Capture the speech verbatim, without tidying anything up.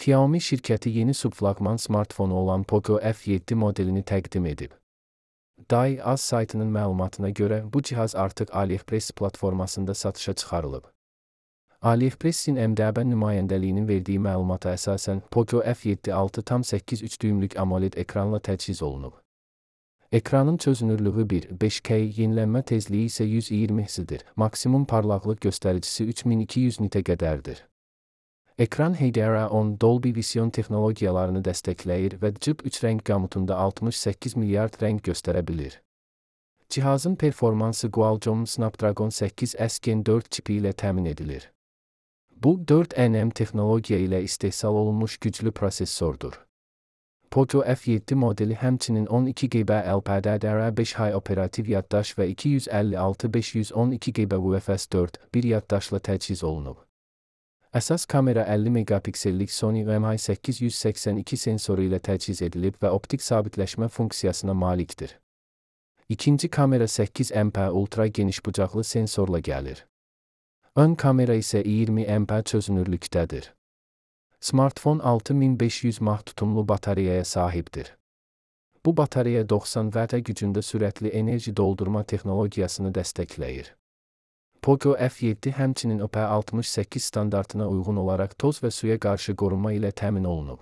Xiaomi şirkəti yeni subflaqman smartfonu olan Poco F yeddi modelini təqdim edib. Dai-Az saytının məlumatına görə bu cihaz artıq AliExpress platformasında satışa çıxarılıb. AliExpress-in M D B nümayəndəliyinin verdiyi məlumata əsasən Poco F yeddi altı tam səkkiz üç düymlük AMOLED ekranla təchiz olunub. Ekranın çözünürlüyü bir nöqtə beş K, yenilənmə tezliyi isə yüz iyirmi hertzdir, maksimum parlaqlıq göstəricisi üç min iki yüz nitə qədərdir. Ekran H D R on Dolby Vision texnologiyalarını dəstəkləyir və C I P üç rəng qamutunda altmış səkkiz milyard rəng göstərə bilir. Cihazın performansı Qualcomm Snapdragon səkkiz S Gen dörd çipi ilə təmin edilir. Bu, dörd nm texnologiya ilə istehsal olunmuş güclü prosesordur. Poco F yeddi modeli həmçinin on iki giqabayt L P D D R beş high operativ yaddaş və iki yüz əlli altı min beş yüz on iki giqabayt U F S dörd nöqtə bir yaddaşla təchiz olunub. Əsas kamera əlli megapiksellik Sony M I səkkiz yüz səksən iki sensoru ilə təchiz edilib və optik sabitləşmə funksiyasına malikdir. İkinci kamera səkkiz megapiksellik ultra genişbucaqlı sensorla gəlir. Ön kamera isə iyirmi megapiksellik çözünürlükdədir. Smartfon altı min beş yüz mAh tutumlu batareyaya sahibdir. Bu batareya doxsan vatt gücündə sürətli enerji doldurma texnologiyasını dəstəkləyir. Poco F yeddi həmçinin I P altmış səkkiz standartına uyğun olaraq toz və suya qarşı qorunma ilə təmin olunub.